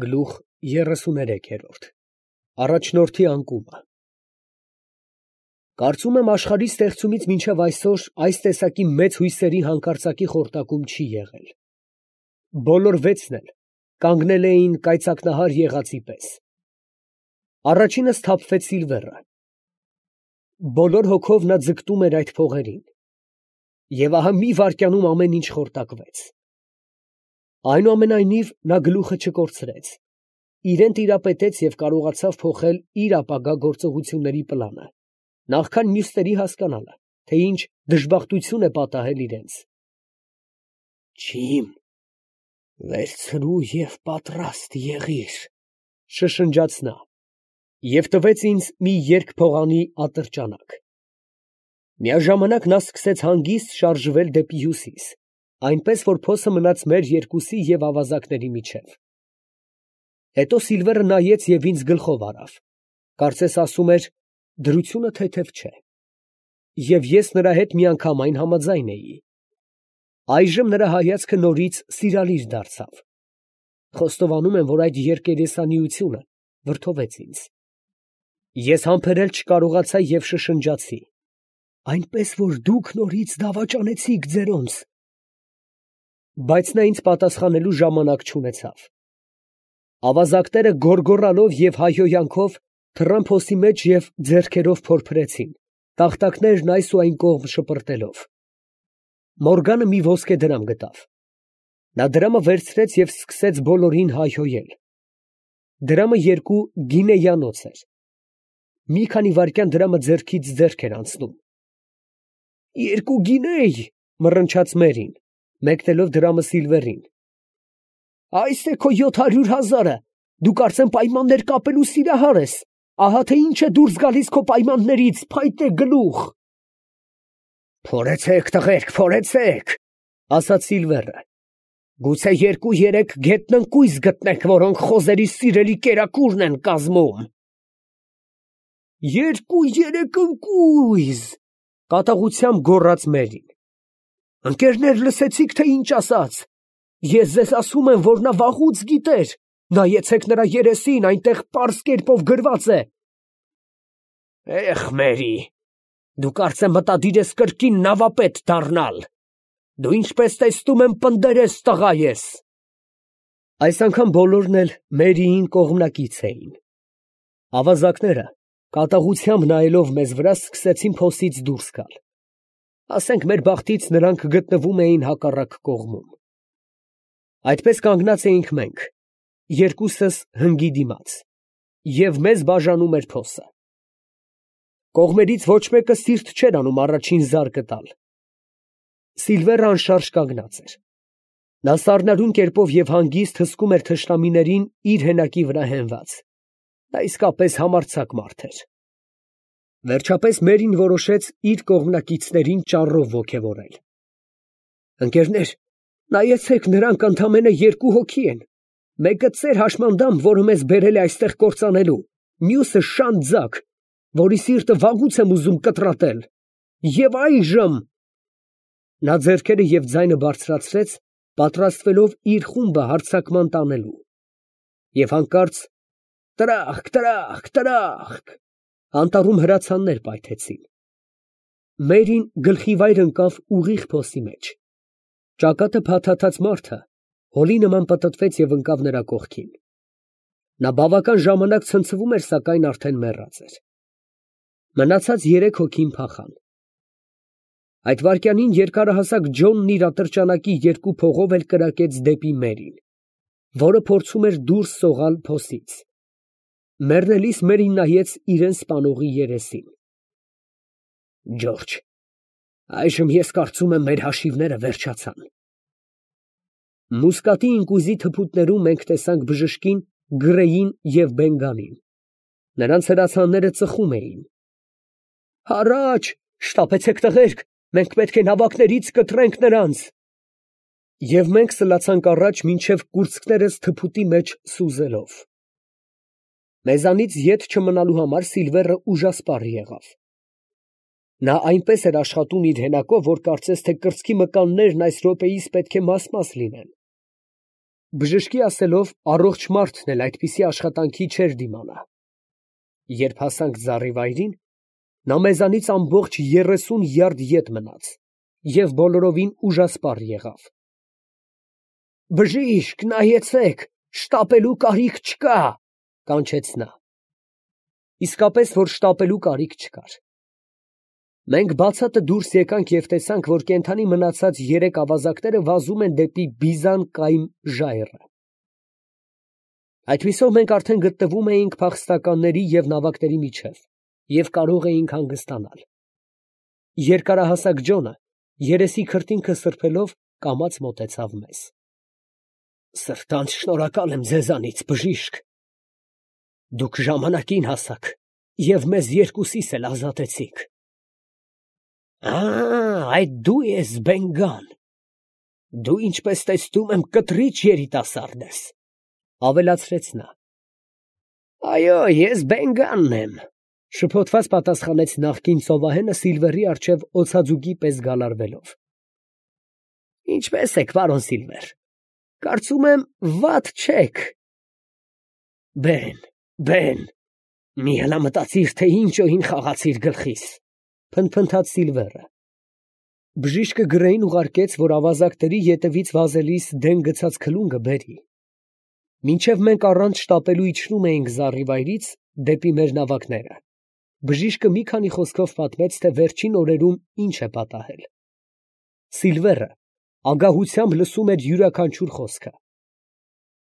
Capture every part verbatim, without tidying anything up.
Գլուխ երեսուներեք։ Առաջնորդի անկումը։ Կարծում եմ աշխարհի ստեղծումից մինչև այսօր այս տեսակի մեծ հույսերի հանկարծակի խորտակում չի եղել. բոլոր վեցն էլ կանգնել էին կայծակնահար եղածի պես։ Առաջինը սթափվեց Սիլվերը. բոլոր հոգով նա ձգտում էր այդ փողերին, և ահա մի վայրկյանում ամեն ինչ խորտակվեց։ Այնուամենայնիվ նա գլուխը չկորցրեց, իրան տիրապետեց և կարողացավ փոխել իր ապագա գործողությունների պլանը, նախքան մյուսների հասկանալը, թե ինչ դժբախտություն է պատահել իրենց։ «Ջիմ, վերցրու և պատրաստ եղիր», շշնջաց նա, և տվեց ինձ մի երկփողանի ատրճանակ։ Միաժամանակ նա սկսեց հանգիստ շարժվել դեպի հյուսիս, այնպես որ փոսը մնաց մեր երկուսի և ավազակների միջև։ Հետո Սիլվերը նայեց և ինձ գլխով արավ, կարծես ասում էր. դրությունը թեթև չէ։ Եվ ես նրա հետ միանգամայն համաձայն էի։ Այժմ նրա հայացքը նորից սիրալիր դարձավ։ Խոստովանում եմ, որ այդ երկերեսանիությունը վրդովեց ինձ։ Ես համբերել չկարողացա և շշնջացի. «Այնպես որ դուք նորից դավաճանեցիք ձերոնց»։ Բայց նա ինձ պատասխանելու ժամանակ չունեցավ։ Ավազակները գոռգոռալով և հայհոյանքով թռան փոսի մեջ և ձեռքերով փորփրեցին, տախտակներն այս ու այն կողմ շպրտելով։ Մորգանը մի ոսկե դրամ գտավ։ Նա դրամը վերցրեց և սկսեց բոլորին հայհոյել։ Դրամը երկու գինեյանոց էր։ Մի քանի վայրկյան դրամը ձեռքից ձեռք էր անցնում։ «Երկու գինեյ», մռնչաց Մերին, մեկնելով դրամը Սիլվերին։ «Այս է քո յոթ հարյուր հազարը, դու կարծեմ պայմաններ կապելու սիրահար ես, ահա թե ինչ է դուրս գալիս քո պայմաններից, փայտե գլուխ»։ «Փորեցե՛ք, տղերք, փորեցե՛ք», ասաց Սիլվերը, «գուցե երկու֊երեք գետնընկույզ գտնեք, որոնք խոզերի սիրելի կերակուրն են կազմում»։ «Երկու֊երեք ընկույզ», կատաղությամբ գոռաց Մերին։ «Ընկերներ, լսեցի՞ք, թե ինչ ասաց։ Ես ձեզ ասում եմ, որ նա վաղուց գիտեր, նայեցեք նրա երեսին, այնտեղ պարզ կերպով գրված է»։ «Էխ, Մերի, դու կարծեմ մտադիր ես կրկին նավապետ դառնալ։ Դու ինչպես տեսնում եմ պնդերես տղա ես»։ Այս անգամ բոլորն էլ Մերիին կողմնակից էին։ Ավազակները, կատաղությամբ նայելով մեզ վրա, սկսեցին փոսից դուրս գալ։ Ասենք մեր բախտից նրանք գտնվում էին հակառակ կողմում։ Այդպես կանգնած էինք մենք, երկուսս հնգի դիմաց, և մեզ բաժանում էր փոսը։ Կողմերից ոչ մեկը սիրտ չէր անում առաջին զարկը տալ։ Սիլվերը անշարժ կանգնած էր։ Նա սառնարյուն կերպով և հանգիստ հսկում էր թշնամիներին իր հենակի վրա հենված։ Նա իսկապես համարձակ մարդ էր։ Վերջապես Մերին որոշեց իր կողմնակիցներին ճառով ոգևորել։ «Ընկերներ, նայեցեք, նրանք ընդամենը երկու հոգի են, մեկը ծեր հաշմանդամ, որը մեզ բերել է այստեղ կործանելու, մյուսը շան ձագ, որի սիրտը վաղուց եմ ուզում կտրատել։ Եվ այժմ…» Նա ձեռքերը և ձայնը բարձրացրեց, պատրաստվելով իր խումբը հարձակման տանելու։ Եվ հանկարծ «Տրախկ, տրախկ, տրախկ» անտառում հրացաններ պայթեցին։ Մերին գլխիվայր ընկավ ուղիղ փոսի մեջ։ Ճակատը փաթաթած մարդը հոլի նման պտտվեց և ընկավ նրա կողքին։ Նա բավական ժամանակ ցնցվում էր, սակայն արդեն մեռած էր։ Մնացած երեք հոգին փախան։ Այդ վայրկյանին երկարահասակ Ջոնն իր ատրճանակի երկու փողով էլ կրակեց դեպի Մերին, որը փորձում էր դուրս սողալ փոսից։ Մեռնելիս Մերին նայեց իրան սպանողի երեսին։ «Ջորջ, այժմ ես կարծում եմ մեր հաշիվները վերջացան»։ Մուսկատի ինկույզի թփուտներում մենք տեսանք բժշկին, Գրեյին և Բենգանին։ Նրանց հրացանները ծխում էին։ «Հառաչ, շտապեցեք, տղերք, մենք պետք է նավակներից կտրենք նրանց»։ Եվ մենք սլացանք առաջ, մինչև կուրծքներս թփուտի մեջ սուզելով։ Մեզանից ետ չմնալու համար Սիլվերը ուժասպառ եղավ։ Նա այնպես էր աշխատում իր հենակով, որ կարծես թե կրծքի մկաններն այս րոպեիս պետք է մաս֊մաս լինեն։ Բժշկի ասելով, առողջ մարդն էլ այդպիսի աշխատանքի չէր դիմանա։ Երբ հասանք ծառի վայրին, նա մեզանից ամբողջ երեսուն յարդ ետ մնաց և բոլորովին ուժասպառ եղավ։ «Բժիշկ, նայեցեք, շտապելու կարիք չկա», կանչեց նա։ Իսկապես, որ շտապելու կարիք չկար։ Մենք բացատը դուրս եկանք և տեսանք, որ կենդանի մնացած երեք ավազակները վազում են դեպի բիզան կայմ ժայռը։ Այդպիսով մենք արդեն գտնվում էինք փախստականների և նավակների միջև և կարող էինք հանգստանալ։ Երկարահասակ Ջոնը, երեսի քրտինքը սրբելով, կամաց մոտեցավ մեզ։ «Սրտանց շնորհակալ եմ ձեզանից, բժիշկ. դուք ժամանակին հասաք և մեզ երկուսիս էլ ազատեցիք»։ «Ա, այդ դու ես, Բեն֊Գան. դու, ինչպես տեսնում եմ, կտրիչ երիտասարդ ես», ֊ ավելացրեց նա։ «Այո, ես Բեն֊Գանն եմ», ֊ շփոթված պատասխանեց նախկին ծովահենը Սիլվերի առջև օձաձուկի պես գալարվելով։ «Ինչպե՞ս եք, պարոն Սիլվեր, կարծում եմ, վատ չեք»։ «Բեն, Բեն, մի հլամտածիր, թե ինչ օհին խաղացիր գլխիս», ֊ փնթփնթաց Սիլվերը։ Բժիշկը գրեին ուղարկեց, որ ավազակների ետևից վազելիս դեն գցած քլունգը բերի։ Մինչև մենք առանց շտապելու իջնում էինք զառիվայրից դեպի մեր նավակները, բժիշկը մի քանի խոսքով պատմեց, թե վերջին օրերում ինչ է պատահել։ Սիլվերը ագահությամբ լսում էր յուրաքանչյուր խոսքը։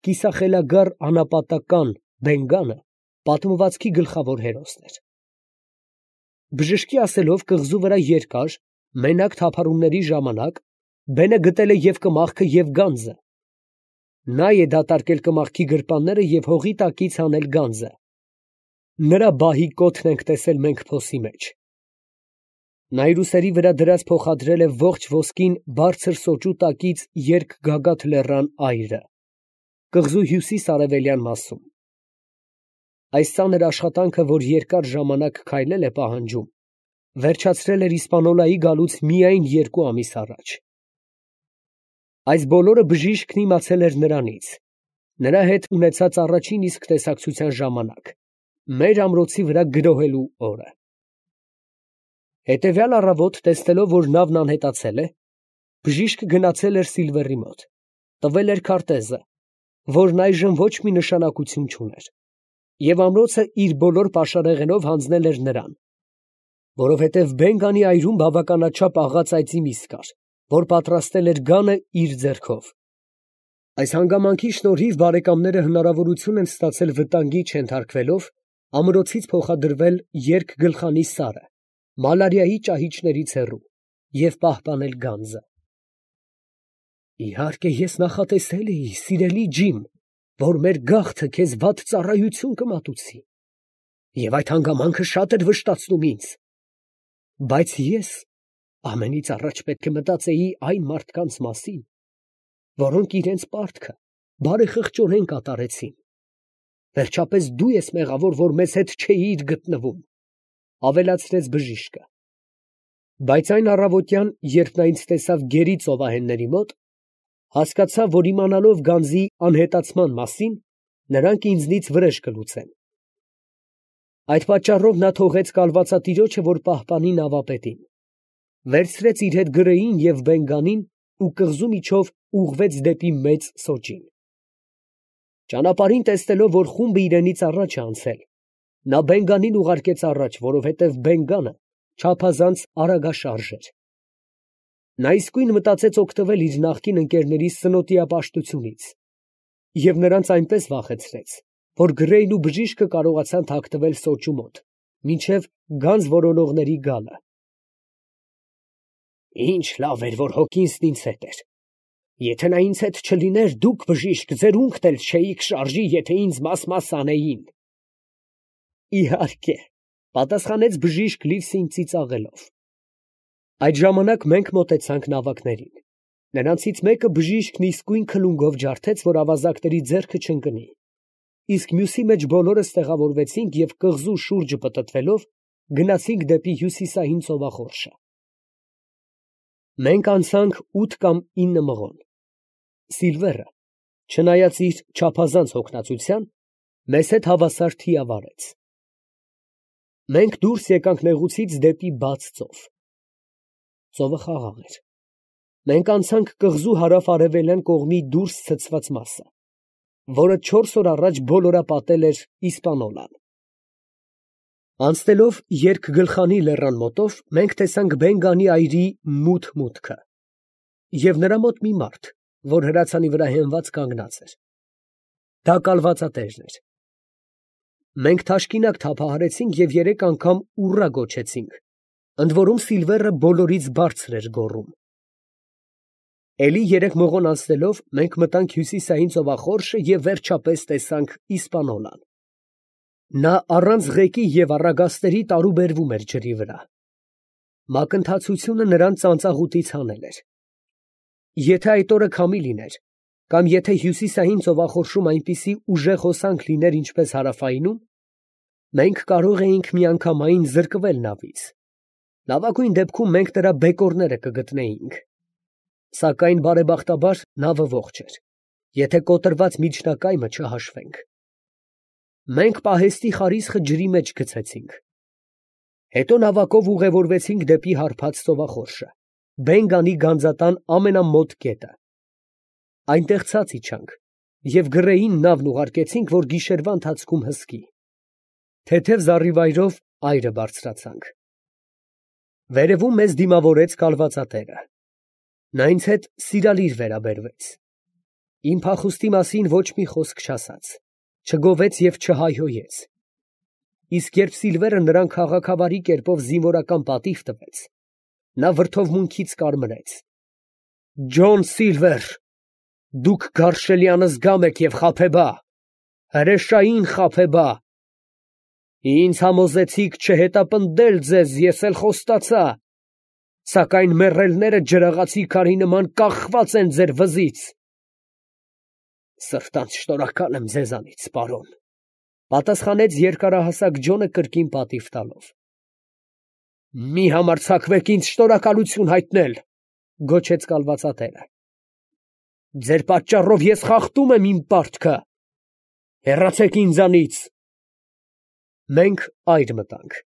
Կիսախելագար անապատական Բեն֊Գանը պատմվածքի գլխավոր հերոսն էր։ Բժշկի ասելով, կղզու վրա երկար, մենակ թափառումների ժամանակ Բենը գտել է և կմախքը, և գանձը։ Նա է դատարկել կմախքի գրպանները և հողի տակից հանել գանձը։ Նրա բահի կոթն ենք տեսել մենք փոսի մեջ։ Նա իր ուսերի վրա դրած փոխադրել է ողջ ոսկին բարձր սոճու տակից Երկգագաթ լեռան այրը, կղզու հյուսիս֊արևելյան մասում։ Այս ծանր աշխատանքը, որ երկար ժամանակ քայլել է պահանջում, վերջացրել էր Իսպանիոլայի գալուց միայն երկու ամիս առաջ։ Այս բոլորը բժիշկն իմացել էր նրանից, նրա հետ ունեցած առաջին իսկ տեսակցության ժամանակ, մեր ամրոցի վրա գրոհելու օրը։ Հետևյալ առավոտ, տեսնելով, որ նավն անհետացել է, բժիշկը գնացել էր Սիլվերի մոտ, տվել էր քարտեզը, որն այժմ ոչ մի նշանակություն չուներ, և ամրոցը իր բոլոր պաշարեղենով հանձնել էր նրան, որովհետև Բեն֊Գանի այրում բավականաչափ աղած այծի միս կար, որ պատրաստել էր գանը իր ձեռքով։ Այս հանգամանքի շնորհիվ բարեկամները հնարավորություն են ստացել վտանգի չենթարկվելով ամրոցից փոխադրվել երկգլխանի սարը, մալարիայի ճահիճներից հեռու, և պահպանել գանձը։ «Իհարկե, ես նախատեսել էի, սիրելի Ջիմ, որ մեր գաղթը քեզ վատ ծառայություն կմատուցի, և այդ հանգամանքը շատ էր վշտացնում ինձ, բայց ես ամենից առաջ պետք է մտածեի այն մարդկանց մասին, որոնք իրենց պարտքը բարեխղճորեն կատարեցին։ Վերջապես դու ես մեղավոր, որ մեզ հետ չէիր գտնվում», ֊ ավելացրեց բժիշկը։ Բայց այն առավոտյան, երբ նա ինձ տեսավ գերի ծովահենների մոտ, հասկացա, որ իմանալով գանձի անհետացման մասին, նրանք ինձնից վրեժ կլուծեն։ Այդ պատճառով նա թողեց կալվածատիրոջը, որ պահպանի նավապետին, վերցրեց իր հետ գրեին և Բեն֊Գանին ու կղզու միջով ուղղվեց դեպի Մեծ Սոճին։ Ճանապարհին տեսնելով, որ խումբը իրենից առաջ է անցել, նա Բեն֊Գանին ուղարկեց առաջ, որովհետև Բեն֊Գանը չափազանց արագաշարժ էր։ Նա իսկույն մտածեց օգտվել իր նախկին ընկերների սնոտիապաշտությունից և նրանց այնպես վախեցրեց, որ գրեին ու բժիշկը կարողացան թաքնվել սոճու մոտ, մինչև գանձ որոնողների գալը։ «Ինչ լավ էր, որ Հոկինսն ինձ հետ էր. եթե նա ինձ հետ չլիներ, դուք, բժիշկ, ձեր ունքն էլ չէիք շարժի, եթե ինձ մաս֊մաս անեին»։ «Իհարկե», ֊ պատասխանեց բժիշկ Լիվսին ծիծաղելով։ Այդ ժամանակ մենք մոտեցանք նավակներին։ Նրանցից մեկը բժիշկն իսկույն քլունգով ջարդեց, որ ավազակների ձեռքը չընկնի, իսկ մյուսի մեջ բոլորս տեղավորվեցինք և կղզու շուրջը պտտվելով գնացինք դեպի հյուսիսային ծովախորշը։ Մենք անցանք ութ կամ ինը մղոն։ Սիլվերը չնայած իր չափազանց հոգնածության, մեզ հետ հավասար թիավարեց։ Մենք դուրս եկանք նեղուցից դեպի բաց ծով։ Ծովը խաղաղ էր։ Մենք անցանք կղզու հարավ-արևելյան կողմի դուրս ցցված մասը, որը չորս օր առաջ բոլորապատել էր Իսպանոլան։ Անցնելով Երկգլխանի լեռան մոտով, մենք տեսանք Բեն-Գանի այրի մութ մուտքը և նրա մոտ մի մարդ, որ հրացանի վրա հենված կանգնած էր։ Դա կալվածատերն էր։ Մենք թաշկինակ թափահարեցինք և երեք անգամ ուռա գոչեցինք, ընդ որում Սիլվերը բոլորից բարձր էր գոռում։ Էլի երեք մղոն անցնելով մենք մտանք հյուսիսային ծովախորշը և վերջապես տեսանք Իսպանոլան։ Նա առանց ղեկի և առագաստերի տարուբերվում էր ջրի վրա։ Մակընթացությունը նրան ծանծաղուտից հանել էր։ Եթե այդ օրը քամի լիներ, կամ եթե հյուսիսային ծովախորշում այնպիսի ուժեղ հոսանք լիներ, ինչպես հարավայինում, մենք կարող էինք միանգամայն զրկվել նավից։ Լավագույն դեպքում մենք նրա բեկորները կգտնեինք։ Սակայն բարեբախտաբար նավը ողջ էր, եթե կոտրված միջնակայմը չհաշվենք։ Մենք պահեստի խարիսխը ջրի մեջ գցեցինք։ Հետո նավակով ուղևորվեցինք դեպի հարբած ծովախորշը, Բեն-Գանի գանձատան ամենամոտ կետը։ Այնտեղ ցած իջանք և գռեին նավն ուղարկեցինք, որ գիշերվա ընթացքում հսկի։ Թեթև զառիվայրով այրը բարձրացանք։ Վերևում մեզ դիմավորեց կալվածատերը։ Նա ինձ հետ սիրալիր վերաբերվեց։ Իմ փախուստի մասին ոչ մի խոսք չասաց, չգովեց և չհայհոյեց։ Իսկ երբ Սիլվերը նրան քաղաքավարի կերպով զինվորական պատիվ տվեց, նա վրդովմունքից կարմրեց։ «Ջոն Սիլվեր, դուք գարշելի անզգամ եք և խաբեբա, հրեշային խաբեբա։ Ինձ համոզեցիք չհետապնդել ձեզ, ես էլ խոստացա, սակայն մեռելները ջրաղացի քարի նման կախված են ձեր վզից»։ «Սրտանց շնորհակալ եմ ձեզանից, պարոն», պատասխանեց երկարահասակ Ջոնը կրկին պատիվ տալով։ «Մի համարձակվեք ինձ շնորհակալություն հայտնել», գոչեց կալվածատերը։ «Ձեր պատճառով ես խախտում եմ իմ պարտքը։ Հեռացեք ինձանից»։ Մենք այր մտանք։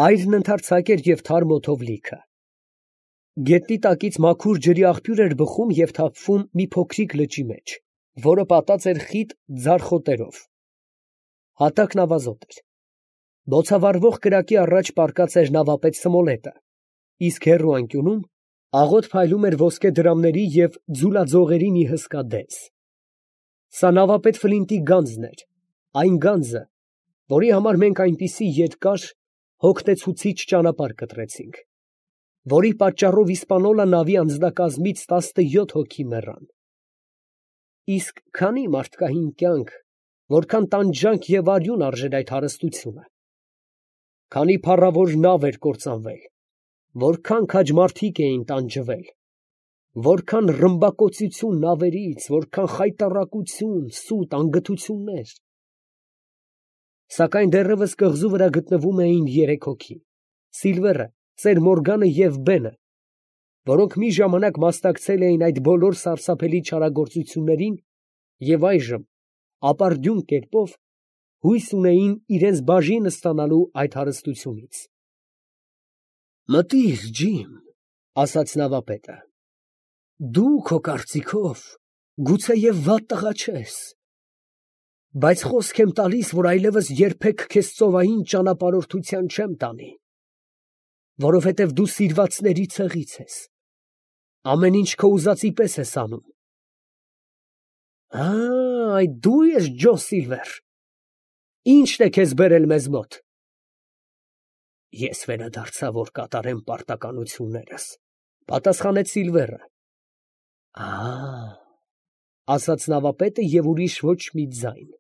Այրն ընդարձակ էր և թարմ օդով լիքը։ Գետնի տակից մաքուր ջրի աղբյուր էր բխում և թափվում մի փոքրիկ լճի մեջ, որը պատած էր խիտ ձար խոտերով։ Հատակն ավազոտ էր։ Բոցավառվող կրակի առաջ պառկած էր նավապետ Սմոլետը, իսկ հեռու անկյունում աղոտ փայլում էր ոսկե դրամների և ձուլաձողերի մի հսկա դենս։ Սա նավապետ Ֆլինտի գանձն էր, այն գանձը, որի համար մենք այնպիսի երկար, հոգնեցուցիչ ճանապարհ կտրեցինք, որի պատճառով Իսպանոլա նավի անձնակազմից տասնյոթ հոգի մեռան։ Իսկ քանի մարդկային կյանք, որքան տանջանք և արյուն արժեր այդ հարստությունը։ Քանի փառավոր նավ էր կործանվել, որքան քաջ մարդիկ էին տանջվել, որքան ռմբակոծություն նավերից, որքան խայտառակություն, սուտ, անգթություններ։ Սակայն դեռևս կղզու վրա գտնվում էին երեք հոգի՝ Սիլվերը, ծեր Մորգանը և Բենը, որոնք մի ժամանակ մասնակցել էին այդ բոլոր սարսափելի չարագործություններին և այժմ ապարդյուն կերպով հույս ունեին իրենց բաժինը ստանալու այդ հարստությունից։ «Մտիր, Ջիմ», ասաց նավապետը, «դու քո կարծիքով գուցեև վատ տղա չես, բայց խոսք եմ տալիս, որ այլևս երբեք քեզ ծովային ճանապարհորդության չեմ տանի, որովհետև դու սիրվածների ցեղից ես, ամեն ինչ քո ուզածի պես ես անում»։ «Ա, այդ դու ես Ջոն Սիլվեր, ի՞նչն է քեզ բերել մեզ մոտ»։ «Ես վերադարձա, որ կատարեմ պարտականություններս», պատասխանեց Սիլվերը։ «Ա, ֊ ասաց նավապետը և ուրիշ ոչ մի ձայն։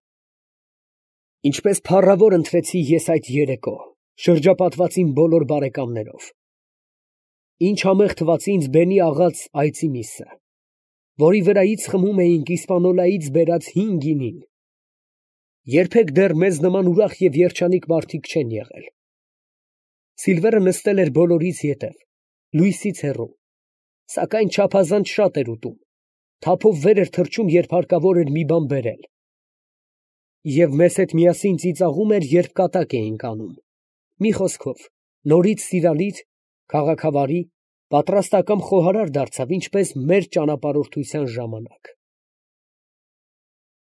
Ինչպես փառավոր ընտրեցի ես այդ երեկո, շրջապատված իմ բոլոր բարեկամներով։ Ինչ համեղ թվաց ինձ Բենի աղաց այծի միսը, որի վրայից խմում էինք Իսպանոլայից բերած հին գինին։ Երբեք դեռ մեզ նման ուրախ և երջանիկ մարդիկ չեն եղել։ Սիլվերը նստել էր բոլորից ետև, լույսից հեռու, սակայն չափազանց շատ էր ուտում, թափով վեր էր թռչում, երբ հարկավոր էր մի բան բերել, և մեզ հետ միասին ծիծաղում էր, երբ կատակ էինք անում, մի խոսքով, նորից սիրալիր, քաղաքավարի, պատրաստակամ խոհարար դարձավ, ինչպես մեր ճանապարհորդության ժամանակ։